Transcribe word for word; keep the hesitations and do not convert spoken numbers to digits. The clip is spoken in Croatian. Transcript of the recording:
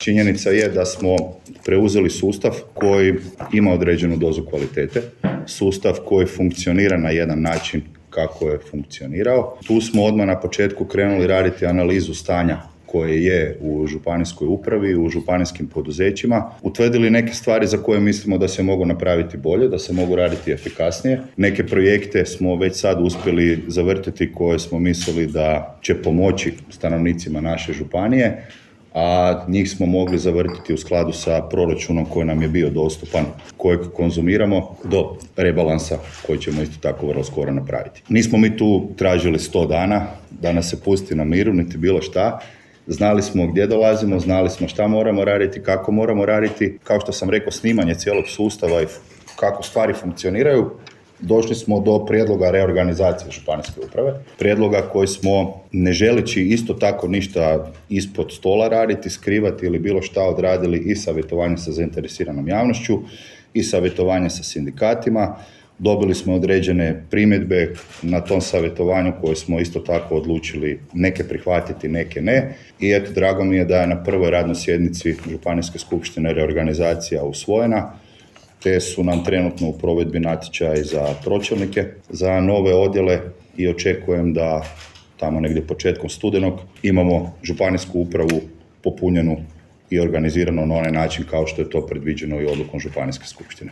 Činjenica je da smo preuzeli sustav koji ima određenu dozu kvalitete, sustav koji funkcionira na jedan način kako je funkcionirao. Tu smo odmah na početku krenuli raditi analizu stanja koje je u županijskoj upravi, u županijskim poduzećima, utvrdili neke stvari za koje mislimo da se mogu napraviti bolje, da se mogu raditi efikasnije. Neke projekte smo već sad uspjeli zavrtiti koje smo mislili da će pomoći stanovnicima naše županije, a njih smo mogli zavrtiti u skladu sa proračunom koji nam je bio dostupan, kojeg konzumiramo do rebalansa koji ćemo isto tako vrlo skoro napraviti. Nismo mi tu tražili sto dana da nas se pusti na miru, niti bilo šta. Znali smo gdje dolazimo, znali smo šta moramo raditi, kako moramo raditi. Kao što sam rekao, snimanje cijelog sustava i kako stvari funkcioniraju, došli smo do prijedloga reorganizacije županijske uprave. Prijedloga koji smo, ne želeći isto tako ništa ispod stola raditi, skrivati ili bilo šta, odradili i savjetovanje sa zainteresiranom javnošću i savjetovanje sa sindikatima. Dobili smo određene primjedbe na tom savjetovanju koje smo isto tako odlučili neke prihvatiti, neke ne. I eto, drago mi je da je na prvoj radnoj sjednici Županijske skupštine reorganizacija usvojena, te su nam trenutno u provedbi natječaji za pročelnike, za nove odjele i očekujem da tamo negdje početkom studenog imamo županijsku upravu popunjenu i organiziranu na onaj način kao što je to predviđeno i odlukom Županijske skupštine.